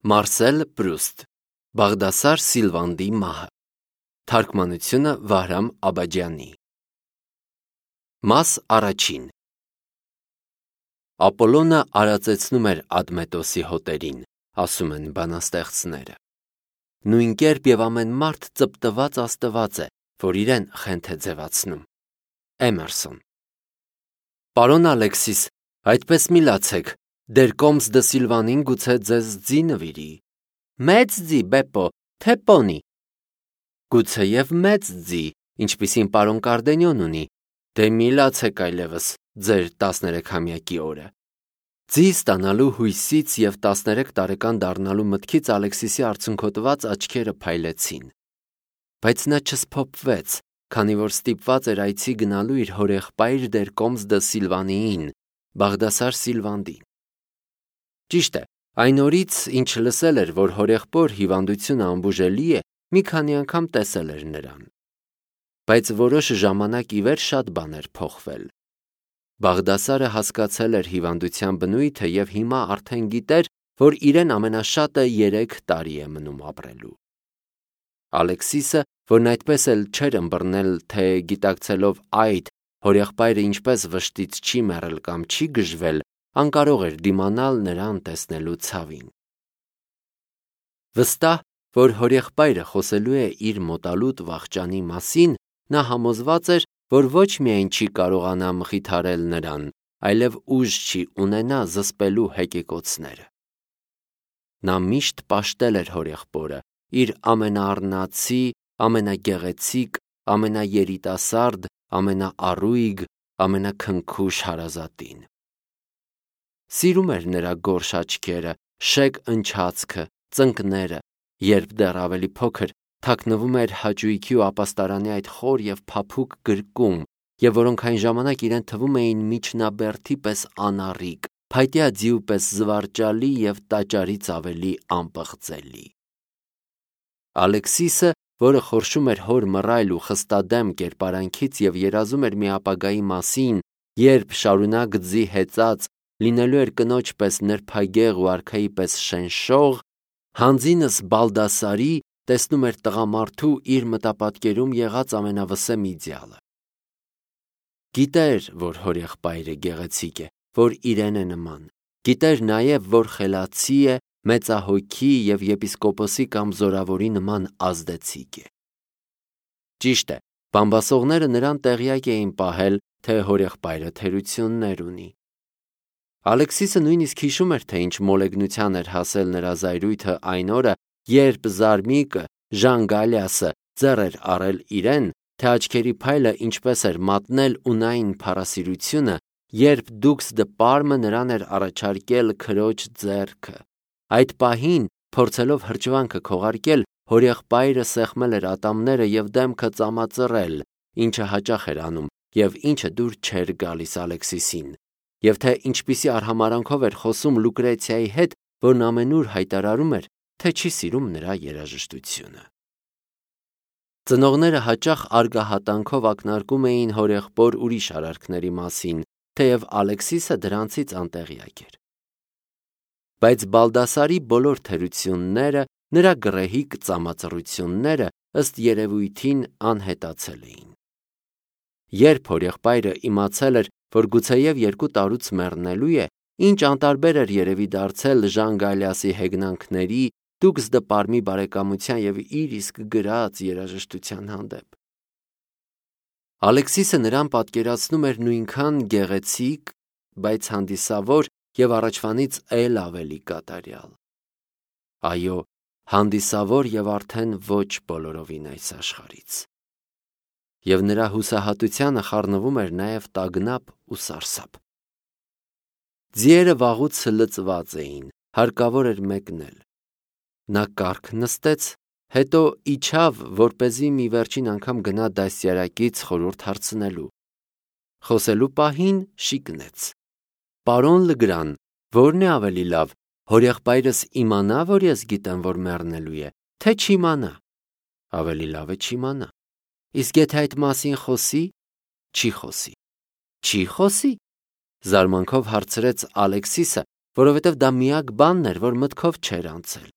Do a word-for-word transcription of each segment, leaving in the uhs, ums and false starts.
Մարսել Պրուստ, Բաղդասար Սիլվանդի մահը, թարգմանությունը Վահրամ Աբաջյանի։ Մաս առաջին։ Ապոլոնը արածեցնում էր Ադմետոսի հոտերին, ասում են բանաստեղծները։ Նույն կերպ և ամեն մարդ ծպտված աստված է, որ իրեն խենթ է ձևացնում։ Էմերսոն։ Պարոն Ալեքսիս, այդպես մի լացեք, դեր կոմս դը Սիլվանին գուցե ձեզ ձի նվիրի։ Մեծ ձի, Բեպո, թե պոնի։ Գուցե և մեծ ձի, ինչպիսին պարոն Կարդենյոն ունի, դե մի լացեք այլևս ձեր տասներեքամյակի օրը։ Ձի ստանալու հույսից և տասներեք տարեկան դառնալու մտքից Ալեքսիսի արցունքոտված աչքերը փայլեցին։ Բայց նա չսփոփվեց, քանի որ ստիպված էր այցի գնալու իր հորեղբայր դեր կոմս դը Սիլվանիին, Բաղդասար Սիլվանդին։ Ճիշտ է, այն օրից, ինչ լսել էր, որ հորեղբոր հիվանդությունը անբուժելի է, մի քանի անգամ տեսել էր նրան։ Բայց որոշ ժամանակ ի վեր շատ բաներ փոխվել։ Բաղդասարը հասկացել էր հիվանդության բնույթը և հիմա արդեն գիտեր, որ իրեն ամենաշատը երեք տարի է մնում ապրելու։ Ալեքսիսը, որն այդպես էլ չէր ըմբռնել, թե գիտակցելով այդ, հորեղբայրը ինչպես վշտից չի մեռել կամ չի գժվել, անկարող էր դիմանալ նրան տեսնելու ցավին։ Վստահ, որ հորեղբայրը խոսելու է իր մոտալուտ վախճանի մասին, նա համոզված էր, որ ոչ միայն չի կարողանա մխիթարել նրան, այլև ուժ չի ունենա զսպելու հեկեկոցները։ Նա միշտ պաշտել էր հորեղբորը, իր ամենաառնացի, ամենագեղեցիկ, ամենաերիտասարդ, ամենաառույգ, ամենաքնքուշ հարազատին։ Սիրում էր նրա գորշ աչքերը, շեկ ընչացքը, ծնկները, երբ դեռ ավելի փոքր թաքնվում էր հաճույքի ու ապաստարանի այդ խոր և փափուկ գրկում, և որոնք այն ժամանակ իրեն թվում էին միջնաբերդի պես անառիկ, փայտյա ձիու պես զվարճալի և տաճարից ավելի անպղծելի։ Ալեքսիսը, որը խորշում էր հոր մռայլ ու խստադեմ կերպարանքից և երազում էր մի ապագայի մասին, երբ շարունակ ձի հեծած լինելու էր կնոջ պես նրբագեղ ու արքայի պես շենշող, հանձինս Բալդասարի տեսնում էր տղամարդու իր մտապատկերում եղած ամենավսեմ իդեալը։ Գիտեր, որ հորեղբայրը գեղեցիկ է, որ իրեն է նման։ Գիտեր նաև, որ խելացի է, մեծահոգի և եպիսկոպոսի կամ զորավորի նման ազդեցիկ է։ Ճիշտ է, բամբասողները նրան տեղյակ էին պահել, թե հորեղբայրը թերություններ ունի։ Ալեքսիսը նույնիսկ հիշում էր, թե ինչ մոլեգնության էր հասել նրա զայրույթը այն օրը, երբ Զարմիկը, Ժան Գալիասը ձեռ էր առել իրեն, թե աչքերի փայլը ինչպես էր մատնել ունայն փառասիրությունը, երբ դուքս դը Պարմը նրան էր առաջարկել քրոջ ձեռքը։ Այդ պահին, փորձելով հրճվանքը քողարկել, հորեղբայրը սեղմել էր ատամները և դեմքը ծամածռել, ինչը հաճախ էր անում և ինչը դուր չէր գալիս Ալեքսիսին, և թե ինչպիսի արհամարհանքով էր խոսում Լուկրեցիայի հետ, որն ամենուր հայտարարում էր, թե չի սիրում նրա երաժշտությունը։ Ծնողները հաճախ արգահատանքով ակնարկում էին հորեղբոր ուրիշ արարքների մասին, թեև Ալեքսիսը դրանցից անտեղյակ էր։ Բայց Բալդասարի բոլոր թերությունները, նրա գռեհիկ ծամածռությունները, ըստ երևույթին, անհետացել էին։ Երբ հորեղբայրը իմացել էր, որ գուցեև երկու տարուց մեռնելու է, ինչ անտարբեր էր երևի դարձել Ժան Գալիասի հեգնանքների, դուքս դը Պարմի բարեկամության և իր իսկ գրած երաժշտության հանդեպ։ Ալեքսիսը նրան պատկերացնում էր նույնքան գեղեցիկ, բայց հանդիսավոր և առաջվանից էլ ավելի կատարյալ։ Այո, հանդիսավոր և արդեն ոչ բոլորովին այս աշխարհից։ Եվ նրա հուսահատությանը խառնվում էր նաև տագնապ ու սարսափ։ Ձիերը վաղուց լծված էին, հարկավոր էր մեկնել։ Նա կառք նստեց, հետո իջավ, որպեսզի մի վերջին անգամ գնա դաստիարակից խորհուրդ հարցնելու։ Խոսելու պահին շիկնեց. Պարոն Լգրան, ո՞րն է ավելի լավ, հորեղբայրս իմանա, որ ես գիտեմ, որ մեռնելու է, թե չիմանա։ Ավելի լավ է չիմանա։ Իսկ եթե այդ մասին խոսի, չի խոսի։ Չի խոսի։ Զարմանքով հարցրեց Ալեքսիսը, որովհետև դա միակ բանն էր, որ մտքով չէր անցել։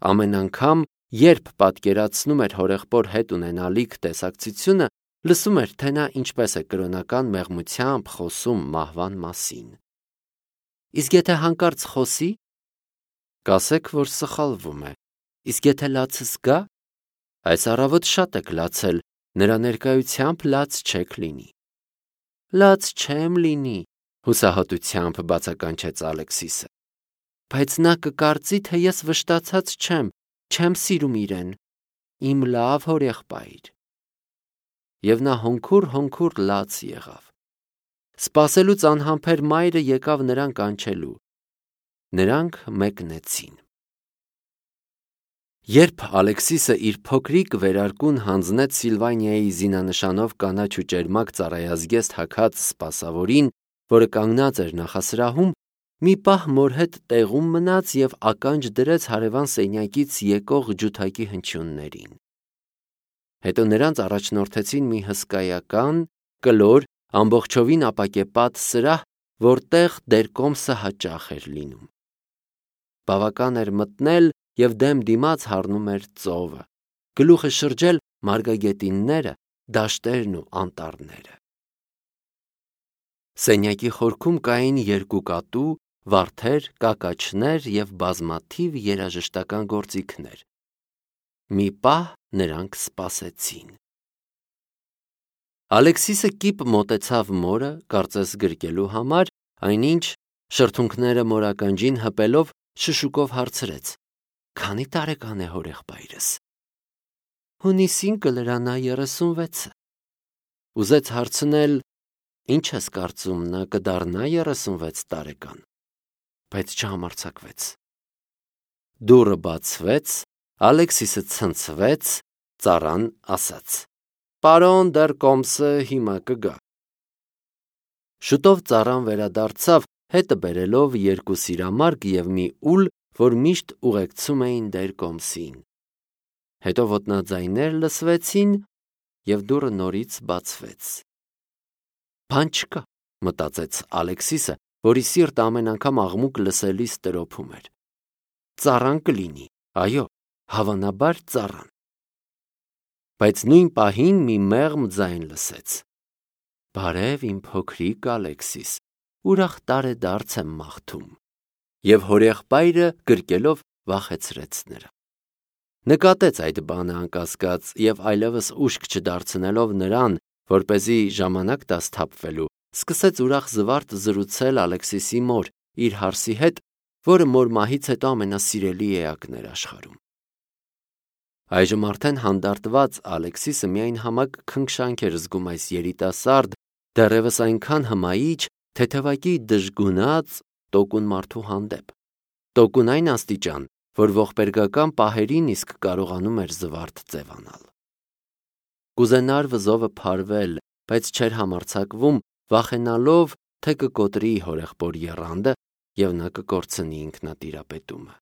Ամեն անգամ, երբ պատկերացնում էր հորեղբոր հետ ունենալիք տեսակցությունը, լսում էր, թե նա ինչպես է կրոնական մեղմությամբ խոսում մահվան մասին։ Իսկ եթե հանկարծ խոսի, կասեք, որ սխալվում է, իսկ եթե լացս գա, այս առավոտ շատ եք լացել, նրա ներկայությամբ լաց չեք լինի։ Լաց չեմ լինի, հուսահատությամբ բացականչեց Ալեքսիսը, բայց նա կկարծի, թե ես վշտացած չեմ, չեմ սիրում իրեն, իմ լավ հորեղբայր։ Եվ նա հոնքուր-հոնքուր լաց եղավ։ Սպասելուց անհամբեր մայրը եկավ նրան կանչելու։ Նրանք մեկնեցին։ Երբ Ալեքսիսը իր փոքրիկ վերարկուն հանձնեց Սիլվանիայի զինանշանով կանաչ ու ճերմակ ծառայազգեստ հագած սպասավորին, որը կանգնած էր նախասրահում, մի պահ մոր հետ տեղում մնաց և ականջ դրեց հարևան սենյակից եկող ջութակի հնչյուններին։ Հետո նրանց առաջնորդեցին մի հսկայական, կլոր, ամբողջովին ապակեպատ սրահ, որտեղ դերկոմսը հաճախ էր լինում։ Բավական էր մտնել և դեմ դիմաց հառնում էր ծովը, գլուխը շրջել մարգագետինները, դաշտերն ու անտառները։ Սենյակի խորքում կային երկու կատու, վարդեր, կակաչներ և բազմաթիվ երաժշտական գործիքներ։ Մի պահ նրանք սպասեցին։ Ալեքսիսը կիպ մոտեցավ մորը, կարծես գրկելու համար, այնինչ շրթունքները մորականջին հպելով շշուկով հարցրեց. Քանի տարեկան է հորեղբայրս։ Հունիսին կլրանա երեսունվեցը։ Ուզեց հարցնել. Ինչ ես կարծում, նա կդառնա երեսունվեց տարեկան, բայց չհամարձակվեց։ Դուռը բացվեց, Ալեքսիսը ցնցվեց, ծառան ասաց. Պարոն դերկոմսը հիմա կգա։ Շուտով ծառան վերադարձավ, հետը բերելով երկու սիրամարգ և մի ուլ, որ միշտ ուղեկցում էին դերկոմսին։ Հետո ոտնաձայներ լսվեցին, և դուռը նորից բացվեց։ Բան չկա, մտածեց Ալեքսիսը, որի սիրտը ամեն անգամ աղմուկ լսելիս տրոփում էր։ Ծառան կլինի, այո, հավանաբար ծառան։ Բայց նույն պահին մի մեղմ ձայն լսեց. Բարև իմ փոքրիկ Ալեքսիս, ուրախ տարեդարձ եմ մաղթում։ Եվ հորեղբայրը գրկելով վախեցրեց նրան։ Նկատեց այդ բանը անկասկած և այլևս ուշք չդարձնելով նրան, որպեսզի ժամանակ տա սթափվելու, սկսեց ուրախ զվարթ զրուցել Ալեքսիսի մոր, իր հարսի հետ, որը մոր մահից հետո ամենասիրելի էակն էր աշխարհում։ Այժմ արդեն հանդարտված Ալեքսիսը միայն համակ քնքշանք էր զգում այս երիտասարդ, դեռևս այնքան հմայիչ, թեթևակի դժգունած, տոկուն մարդու հանդեպ։ Տոկուն այն աստիճան, որ ողբերգական պահերին իսկ կարողանում էր զվարթ ձևանալ։ Կուզենար վզովը փարվել, բայց չէր համարձակվում, վախենալով, թե կկոտրի հորեղբոր եռանդը և նա կկորցնի ինքնատիրապետումը։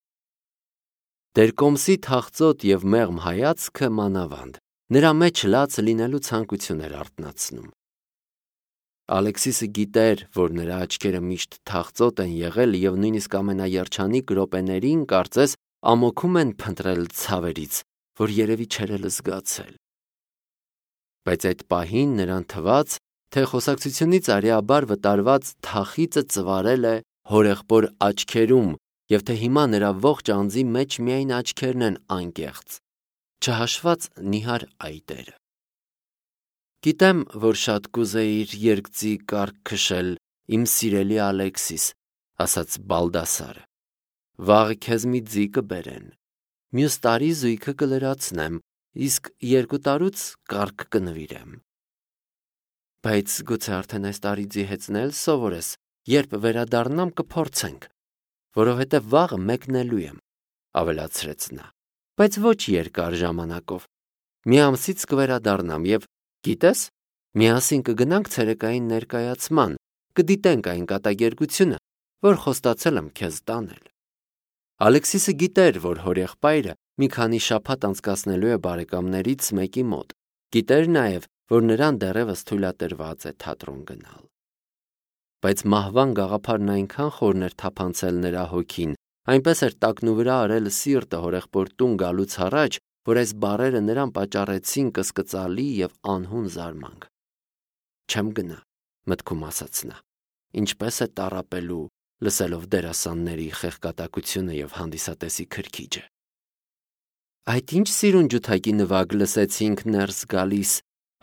Դերկոմսի թախծոտ և մեղմ հայացքը մանավանդ, նրա մեջ լաց լինելու ցանկություն էր արթնացնում։ Ալեքսիսը գիտեր, որ նրա աչքերը միշտ թախծոտ են եղել և նույնիսկ ամենաերջանիկ րոպեներին, կարծես, ամոքում են փնտրել ցավերից, որ երևի չէր էլ զգացել։ Բայց այդ պահին նրան թվաց, թե խոսակցությունից արիաբար վտարված թախիծը ծվարել է հորեղբոր աչքերում և թե հիմա նրա ողջ անձի մեջ միայն աչքերն են անկեղծ, չհաշված նիհար այտերը։ Գիտեմ, որ շատ կուզեիր երկծի կառք քշել, իմ սիրելի Ալեքսիս, ասաց Բալդասարը։ Վաղը քեզ մի ձի կբերեն։ Մյուս տարի զույգը կլրացնեմ, իսկ երկու տարուց կառք կնվիրեմ։ Բայց գուցե արդեն այս տարի ձիհեցնել սովորես, երբ վերադառնամ կփորձենք, որովհետև վաղը մեկնելու եմ, ավելացրեց նա, բայց ոչ երկար ժամանակով։ Մի ամսից կվերադառնամ և, գիտես, միասին կգնանք ցերեկային ներկայացման, կդիտենք այն կատակերգությունը, որ խոստացել եմ քեզ տանել։ Ալեքսիսը գիտեր, որ հորեղբայրը մի քանի շաբաթ անցկացնելու է բարեկամներից մեկի մոտ, գիտեր նաև, որ նրան դեռևս թույլատրված է թատրոն գնալ։ բայց մահվան գաղափարն այնքան խորն էր թափանցել նրա հոգին, այնպես էր տակնուվրա արել սիրտը հորեղբոր տուն գալուց առաջ, որ այս բառերը նրան պատճառեցին կսկծալի եւ անհուն զարմանք։ Չեմ գնա, մտքում ասաց նա, ինչպես է տառապելու, լսելով դերասանների խեղկատակությունը եւ հանդիսատեսի քրքիջը։ Այդ ինչ սիրուն ջութակի նվագ լսեցինք ներս գալիս,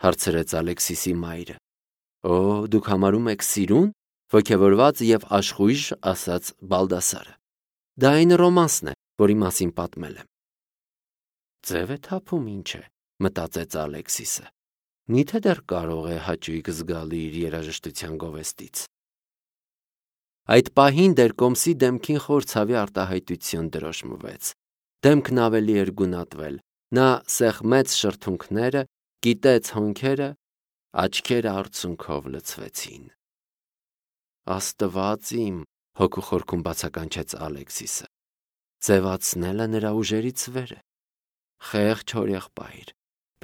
հարցրեց Ալեքսիսի մայրը։ Օ, դուք համարում եք սիրուն, ոգևորված եւ աշխույժ, ասաց Բալդասարը։ Դա այն ռոմանսն է, որի մասին պատմել եմ։ Ձև է թափում, ինչ է, մտածեց Ալեքսիսը։ Միթե դեռ կարող է հաճույք զգալ իր երաժշտության գովեստից։ Այդ պահին Դերկոմսի դեմքին խոր ցավի արտահայտություն դրոշմվեց։ Դեմքն ավելի էր գունատվել։ Նա սեղմեց շրթունքները, կիտեց հոնքերը, աչքերը արցունքով լցվեցին։ Աստված իմ, հոգու խորքում բացականչեց Ալեքսիսը։ Ձևացնելը նրա ուժերից վեր է։ Խեղճ հորեղբայր,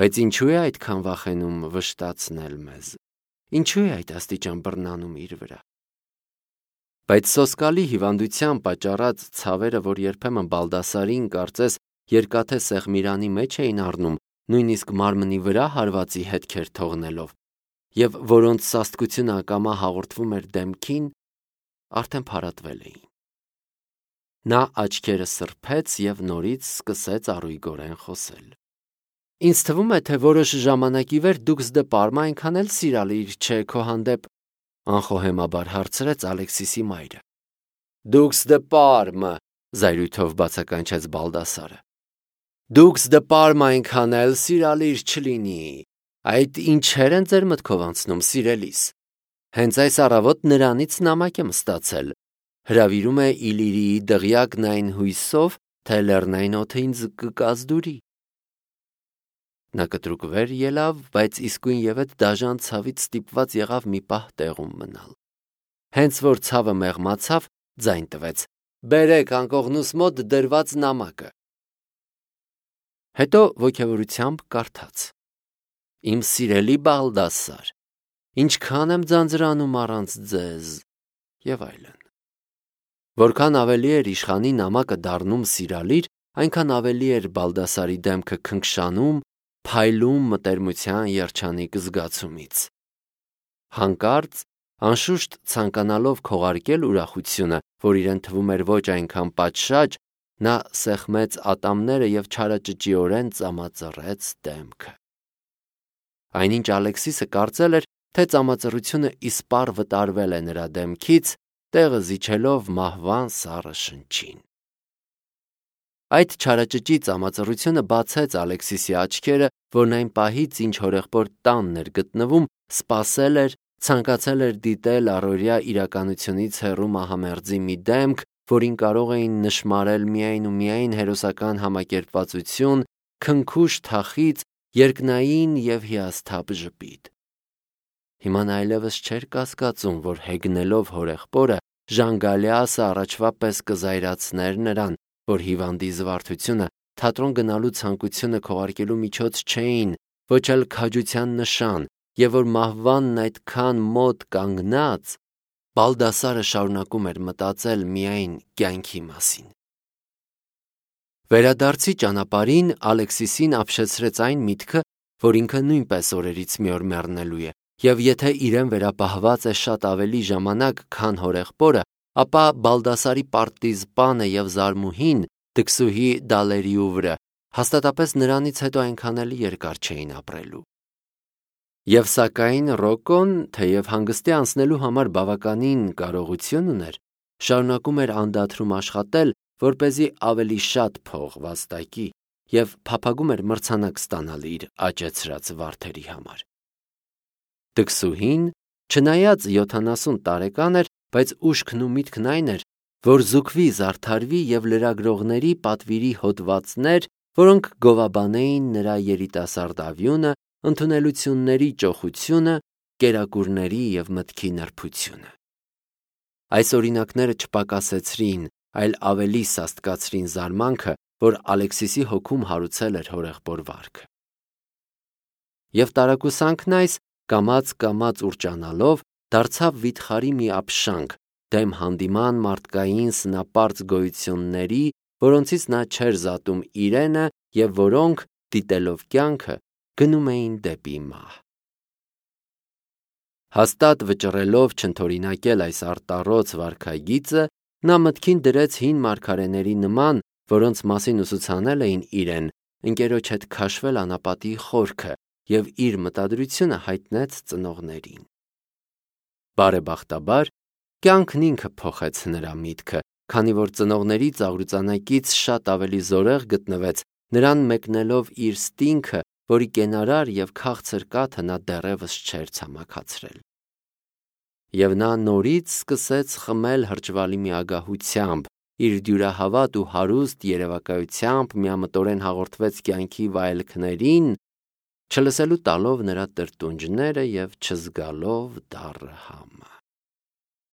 բայց ինչու է այդքան վախենում վշտացնել մեզ։ Ինչու է այդ աստիճան բռնանում իր վրա։ Բայց սոսկալի հիվանդության պատճառած ցավերը, որ երբեմն Բալդասարին կարծես երկաթե սեղմիրանի մեջ էին առնում, նույնիսկ մարմնի վրա հարվածի հետքեր թողնելով, եւ որոնց սաստկությունը ակամա հաղորդվում էր դեմքին, արդեն փարատվել էին։ Նա աչքերը սրբեց եւ նորից սկսեց առույգորեն խոսել։ Ինձ թվում է, թե որոշ ժամանակի վեր դուքս դե Պարմա այնքան էլ սիրալիր չէ քո հանդեպ, անխոհեմաբար հարցրեց Ալեքսիսի մայրը։ Դուքս դե Պարմը, զայրույթով բացականչեց Բալդասարը։ Դուքս դե Պարմա այնքան էլ սիրալիր չլինի։ Այդ ինչեր են ձեր մտքով անցնում, սիրելիս։ Հենց այս առավոտ նրանից նամակ եմ ստացել։ Հրավիրում է Իլիրիի դղյակն այն հույսով, թե լեռնային օդը ինձ կկազդուրի։ Նա կտրուկ վեր ելավ, բայց իսկույն ևեթ դաժան ցավից ստիպված եղավ մի պահ տեղում մնալ։ Հենց որ ցավը մեղմացավ, ձայն տվեց. «Բերեք անկողնուս մոտ դրված նամակը»։ Հետո ոգևորությամբ կարդաց. Իմ սիրելի Բալդասար, ինչքան եմ ձանձրանում առանց ձեզ, եւ այլն։ Որքան ավելի էր իշխանի նամակը դառնում սիրալիր, այնքան ավելի էր Բալդասարի դեմքը քնքշանում, փայլում մտերմության երջանիկ զգացումից։ Հանկարծ, անշուշտ ցանկանալով քողարկել ուրախությունը, որ իրեն թվում էր ոչ այնքան պատշաճ, նա սեղմեց ատամները եւ չարաճճիորեն ծամածռեց դեմքը։ Այնինչ Ալեքսիսը կարծել էր, թե ծամածռությունը իսպառ վտարվել է նրա դեմքից, տեղը զիջելով մահվան սառը շնչին։ Այդ չարաճճի ծամածռությունը բացեց Ալեքսիսի աչքերը, որն այն պահից, ինչ հորեղբոր տանն էր գտնվում, սպասել էր, ցանկացել էր դիտել առօրյա իրականությունից հեռու մահամերձի մի դեմք, որին կարող էին նշմարել միայն ու միայն հերոսական համակերպվածություն, քնքուշ թախիծ, երկնային եւ հիասթափ ժպիտ։ Հիմա նա այլևս չէր կասկածում, որ հեգնելով հորեղբորը, Ժանգալիասը առաջվա պես կզայրացներ նրան, որ հիվանդի զվարթությունը, թատրոն գնալու ցանկությունը քողարկելու միջոց չէին, ոչ էլ քաջության նշան, եւ որ մահվանն այդքան մոտ կանգնած, Բալդասարը շարունակում էր մտածել միայն կյանքի մասին։ Վերադարձի ճանապարհին Ալեքսիսին ապշեցրեց այն միտքը, որ ինքը նույնպես օրերից մի օր մեռնելու է, եւ եթե իրեն վերապահված է շատ ավելի ժամանակ, քան հորեղբորը, ապա Բալդասարի պարտիզպանը եւ զարմուհին Դքսուհի Դալերիուվրը հաստատապես նրանից հետո այնքան էլ երկար չէին ապրելու։ Եվ սակայն Ռոկոն, թեև հանգստի անցնելու համար բավականին կարողություն ուներ, շարունակում էր անդադրում աշխատել, որպեսզի ավելի շատ փող վաստակի եւ փափագում էր մրցանակ ստանալ իր աճեցրած վարդերի համար։ Դքսուհին, չնայած յոթանասուն տարեկան էր, բայց ուշքն ու միտքն այն էր, որ զուգվի, զարդարվի եւ լրագրողների պատվիրի հոդվածներ, որոնք գովաբանեին նրա երիտասարդ ավյունը, ընդունելությունների ճոխությունը, կերակուրների եւ մտքի նրբությունը։ Այս օրինակները չպակասեցրին, այլ ավելի սաստկացրին զարմանքը, որ Ալեքսիսի հոգում հարուցել էր հորեղբոր վարքը։ Եվ տարակուսանքն այս, կամաց-կամաց ուրճանալով, դարձավ վիթխարի մի ապշանք, դեմ հանդիման մարդկային սնապարծ գոյությունների, որոնցից նա չէր զատում իրենը և որոնք, դիտելով կյանքը, գնում էին դեպի մահ։ Հաստատ վճռելով չընդօրինակել այս արտառոց վարքագիծը, նա մտքին դրեց հին մարգարեների նման, որոնց մասին ուսուցանել էին իրեն, ընկերոջ հետ քաշվել անապատի խորքը և իր մտադրությունը հայտնեց ծնողներին։ Բարեբախտաբար, կյանքն ինքը փոխեց նրա միտքը, քանի որ ծնողների ծաղրուծանակից շատ ավելի զորեղ գտնվեց նրան մեկնելով իր ստինքը, որի կենարար և քաղցր կաթը նա դեռևս չէր ցամաքացրել։ Եվ նա նորից սկսեց խմել հրճվալի միագահությամբ, իր դյուրահավատ ու հարուստ երևակայությամբ միամտորեն հաղորդվեց կյանքի վայելքներին, չլսելու տալով նրա տրտունջները և չզգալով դառը համը։